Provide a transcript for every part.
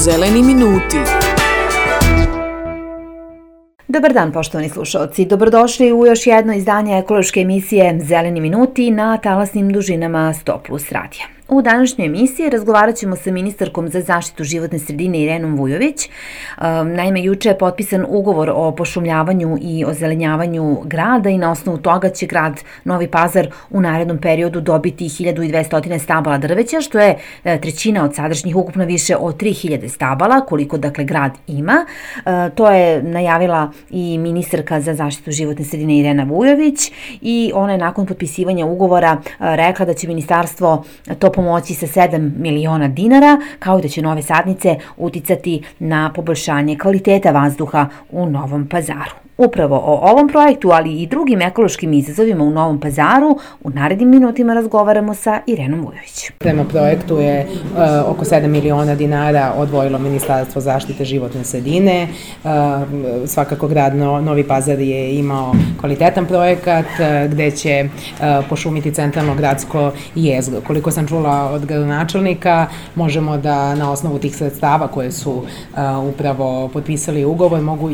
Zeleni minuti. Dobar dan, poštovani slušalci. Dobrodošli u još jedno izdanje ekološke emisije Zeleni minuti na talasnim dužinama 100+ radija. U današnjoj emisiji razgovarat ćemo sa ministarkom za zaštitu životne sredine Irenom Vujović. Naime, juče je potpisan ugovor o pošumljavanju i ozelenjavanju grada i na osnovu toga će grad Novi Pazar u narednom periodu dobiti 1200 stabala drveća, što je trećina od sadašnjih, ukupno više od 3000 stabala, koliko dakle grad ima. To je najavila i ministarka za zaštitu životne sredine Irena Vujović i ona je nakon potpisivanja ugovora rekla da će ministarstvo to pomoći sa 7 miliona dinara, kao i da će nove sadnice uticati na poboljšanje kvaliteta vazduha u Novom Pazaru. Upravo o ovom projektu, ali i drugim ekološkim izazovima u Novom Pazaru, u narednim minutima razgovaramo sa Irenom Vujović. Prema projektu je oko 7 miliona dinara odvojilo Ministarstvo zaštite životne sredine. Svakako grad Novi Pazar je imao kvalitetan projekat gde će pošumiti centralno gradsko jezgro. Koliko sam čula od gradonačelnika, možemo da na osnovu tih sredstava koje su upravo potpisali ugovor mogu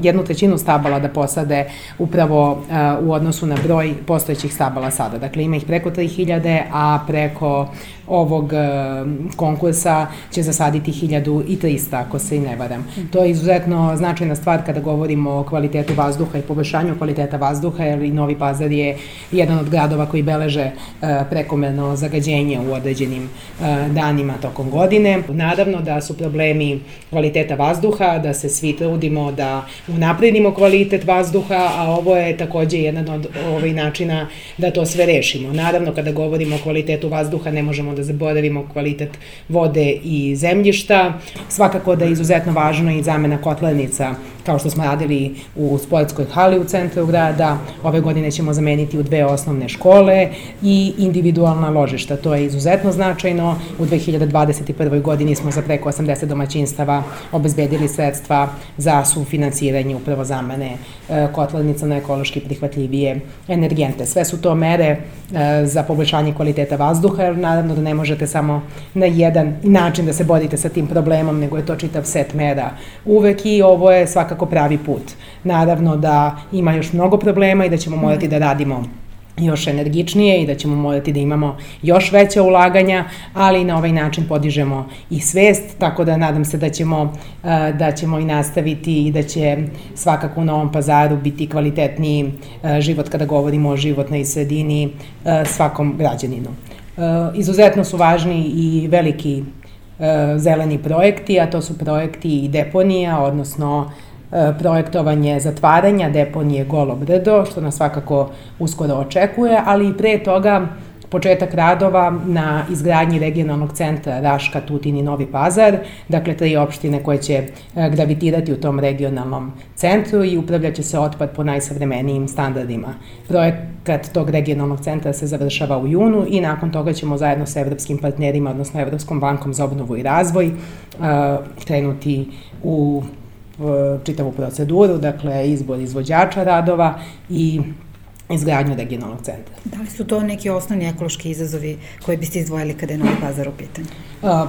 jednu trećinu stabala da posade upravo u odnosu na broj postojećih stabala sada. Dakle, ima ih preko 3000, a preko ovog konkursa će zasaditi 1300, ako se i ne varam. To je izuzetno značajna stvar kada govorimo o kvalitetu vazduha i poboljšanju kvaliteta vazduha, jer i Novi Pazar je jedan od gradova koji beleže prekomerno zagađenje u određenim danima tokom godine. Naravno da su problemi kvaliteta vazduha, da se svi trudimo da unapredimo kvalitet vazduha, a ovo je takođe jedan od načina da to sve rešimo. Naravno, kada govorimo o kvalitetu vazduha, ne možemo da zaboravimo kvalitet vode i zemljišta. Svakako da je izuzetno važno i zamena kotlarnica, kao što smo radili u sportskoj hali u centru grada. Ove godine ćemo zameniti u 2 osnovne škole i individualna ložišta. To je izuzetno značajno. U 2021. godini smo za preko 80 domaćinstava obezbedili sredstva za sufinansiranje upravo zamene kotlarnica na ekološki prihvatljivije energente. Sve su to mere za poboljšanje kvaliteta vazduha, jer naravno da ne možete samo na jedan način da se borite sa tim problemom, nego je to čitav set mera uvek i ovo je svakako pravi put. Naravno da ima još mnogo problema i da ćemo morati da radimo još energičnije i da ćemo morati da imamo još veća ulaganja, ali na ovaj način podižemo i svest, tako da nadam se da ćemo i nastaviti i da će svakako u Novom Pazaru biti kvalitetniji život kada govorimo o životnoj sredini svakom građaninu. Izuzetno su važni i veliki zeleni projekti, a to su projekti i deponija, odnosno projektovanje zatvaranja deponije Golo Brdo, što nas svakako uskoro očekuje, ali i pre toga početak radova na izgradnji regionalnog centra Raška, Tutin i Novi Pazar, dakle 3 opštine koje će gravitirati u tom regionalnom centru i upravljaće se otpad po najsavremenijim standardima. Projekat tog regionalnog centra se završava u junu i nakon toga ćemo zajedno sa evropskim partnerima, odnosno Evropskom bankom za obnovu i razvoj, krenuti u čitavu proceduru, dakle izbor izvođača radova i izgradnju regionalnog centra. Da li su to neki osnovni ekološki izazovi koji biste izdvojili kada je Novi Pazar u pitanju?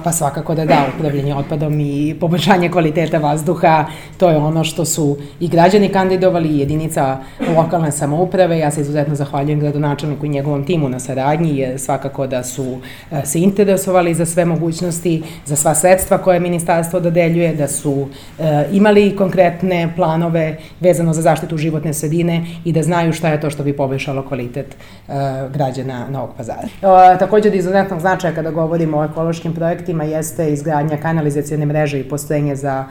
Pa svakako da, upravljanje otpadom i poboljšanje kvaliteta vazduha, to je ono što su i građani kandidovali i jedinica lokalne samouprave. Ja se izuzetno zahvaljujem gradonačelniku i njegovom timu na saradnji, jer svakako da su se interesovali za sve mogućnosti, za sva sredstva koje ministarstvo dodeljuje, da su imali konkretne planove vezano za zaštitu životne sredine i da znaju šta je to što bi poboljšalo kvalitet građana Novog Pazara. Takođe od izuzetnog značaja kada govorimo o ekološkim projektima jeste izgradnja kanalizacione mreže i postrojenja za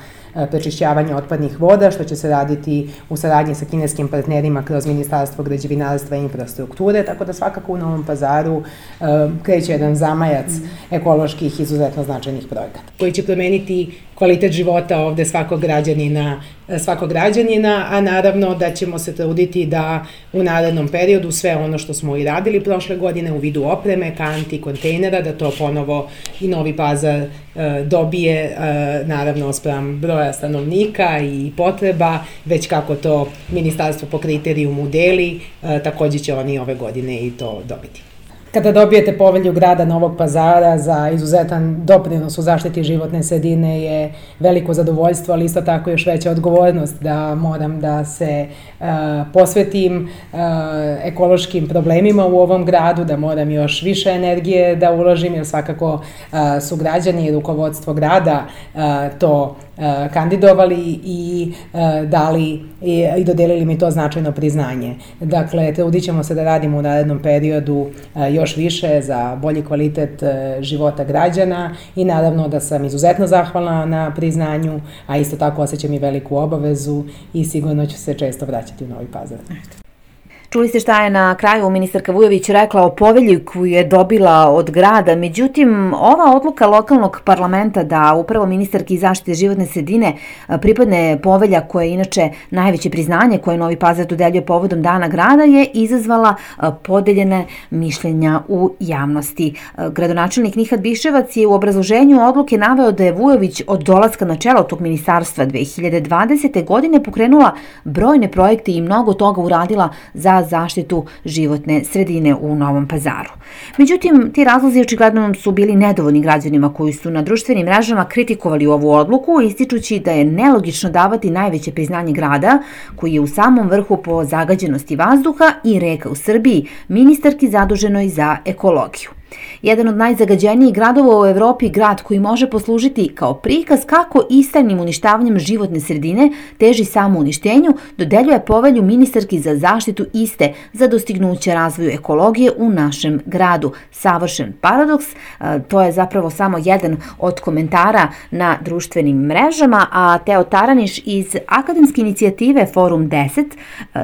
prečišćavanje otpadnih voda, što će se raditi u saradnji sa kineskim partnerima kroz Ministarstvo građevinarstva i infrastrukture, tako da svakako u Novom Pazaru kreće jedan zamajac ekoloških izuzetno značajnih projekata, koji će promeniti kvalitet života ovde svakog građanina, a naravno da ćemo se truditi da u narednom periodu sve ono što smo i radili prošle godine u vidu opreme, kanti, kontejnera, da to ponovo i Novi Pazar dobije, naravno spram broja stanovnika i potreba, već kako to ministarstvo po kriterijumu deli, takođe će oni ove godine i to dobiti. Kada dobijete povelju grada Novog Pazara za izuzetan doprinos u zaštiti životne sredine je veliko zadovoljstvo, ali isto tako još veća odgovornost da moram da se posvetim ekološkim problemima u ovom gradu, da moram još više energije da uložim, jer svakako su građani i rukovodstvo grada to kandidovali i dali i dodelili mi to značajno priznanje. Dakle, trudit ćemo se da radimo u narednom periodu još više za bolji kvalitet života građana i naravno da sam izuzetno zahvalna na priznanju, a isto tako osjećam i veliku obavezu i sigurno ću se često vraćati u Novi Pazar. Čuli ste šta je na kraju ministarka Vujović rekla o povelji koju je dobila od grada, međutim, ova odluka lokalnog parlamenta da upravo ministarki zaštite životne sredine pripadne povelja koja je inače najveće priznanje koje Novi Pazar dodeljuje povodom Dana grada je izazvala podeljene mišljenja u javnosti. Gradonačelnik Nihad Biševac je u obrazloženju odluke naveo da je Vujović od dolaska na čelo tog ministarstva 2020. godine pokrenula brojne projekte i mnogo toga uradila za zaštitu životne sredine u Novom Pazaru. Međutim, ti razlozi očigledno su bili nedovoljni građanima koji su na društvenim mrežama kritikovali ovu odluku, ističući da je nelogično davati najveće priznanje grada, koji je u samom vrhu po zagađenosti vazduha i reka u Srbiji, ministarki zaduženoj za ekologiju. Jedan od najzagađenijih gradova u Evropi, grad koji može poslužiti kao prikaz kako istrajnim uništavanjem životne sredine teži samouništenju, dodeljuje povelju ministarki za zaštitu iste za dostignuće razvoju ekologije u našem gradu. Savršen paradoks, to je zapravo samo jedan od komentara na društvenim mrežama, a Teo Taraniš iz akademske inicijative Forum 10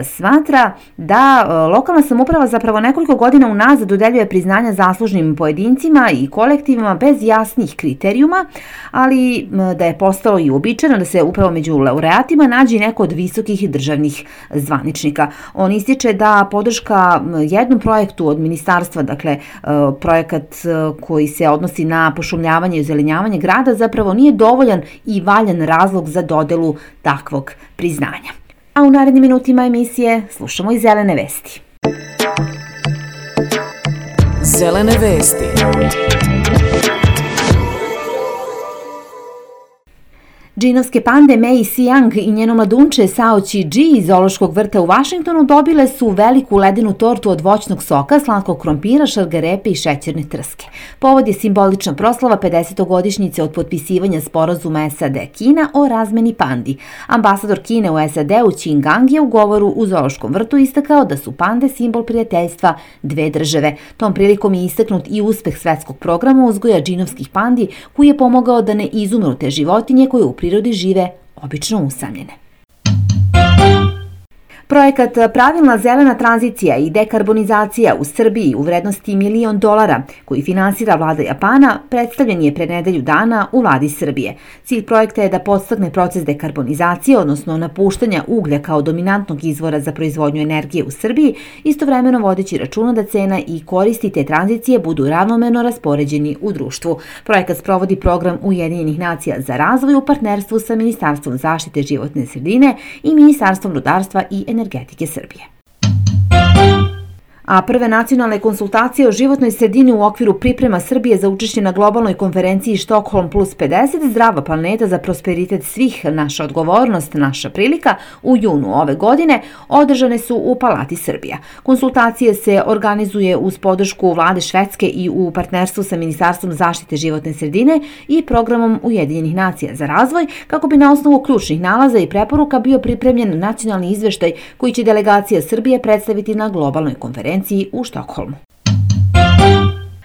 smatra da lokalna samouprava zapravo nekoliko godina unazad dodeljuje priznanja zaslužnim pojedincima i kolektivima bez jasnih kriterijuma, ali da je postalo i uobičajeno da se upravo među laureatima nađe neko od visokih državnih zvaničnika. On ističe da podrška jednom projektu od ministarstva, dakle projekat koji se odnosi na pošumljavanje i ozelenjavanje grada, zapravo nije dovoljan i valjan razlog za dodelu takvog priznanja. A u narednim minutima emisije slušamo i zelene vesti. Zelene vesti. Džinovske pande Mei Siang i njeno mladunče Sao Chi Ji iz zoološkog vrta u Vašingtonu dobile su veliku ledenu tortu od voćnog soka, slatkog krompira, šargarepe i šećerne trske. Povod je simbolična proslava 50-godišnjice od potpisivanja sporazuma SAD-Kina o razmeni pandi. Ambasador Kine u SAD-u Qin Gang je u govoru u zoološkom vrtu istakao da su pande simbol prijateljstva dve države. Tom prilikom je istaknut i uspeh svetskog programa uzgoja džinovskih pandi koji je pomogao da ne izumru te životinje koje u prirodi žive obično usamljene. Projekat Pravilna zelena tranzicija i dekarbonizacija u Srbiji u vrednosti $1 milion, koji finansira vlada Japana, predstavljen je pre nedelju dana u vladi Srbije. Cilj projekta je da podstakne proces dekarbonizacije, odnosno napuštanja uglja kao dominantnog izvora za proizvodnju energije u Srbiji, istovremeno vodeći računa da cena i koristi te tranzicije budu ravnomerno raspoređeni u društvu. Projekat sprovodi program Ujedinjenih nacija za razvoj u partnerstvu sa Ministarstvom zaštite životne sredine i Ministarstvom rudarstva i energetike Srbije. A prve nacionalne konsultacije o životnoj sredini u okviru priprema Srbije za učešće na globalnoj konferenciji Stockholm plus 50 Zdrava planeta za prosperitet svih, naša odgovornost, naša prilika u junu ove godine održane su u Palati Srbija. Konsultacije se organizuje uz podršku vlade Švedske i u partnerstvu sa Ministarstvom zaštite životne sredine i programom Ujedinjenih nacija za razvoj, kako bi na osnovu ključnih nalaza i preporuka bio pripremljen nacionalni izveštaj koji će delegacija Srbije predstaviti na globalnoj konferenciji u Štokholmu.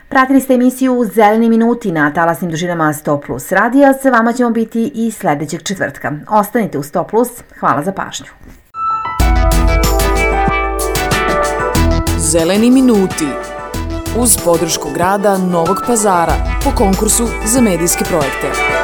Pratili ste emisiju Zeleni minuti na talasnim dužinama 100+ radija. Sa vama ćemo biti i sledećeg četvrtka. Ostanite u 100+. Hvala za pažnju. Zeleni minuti uz podršku grada Novog Pazara po konkursu za medijske projekte.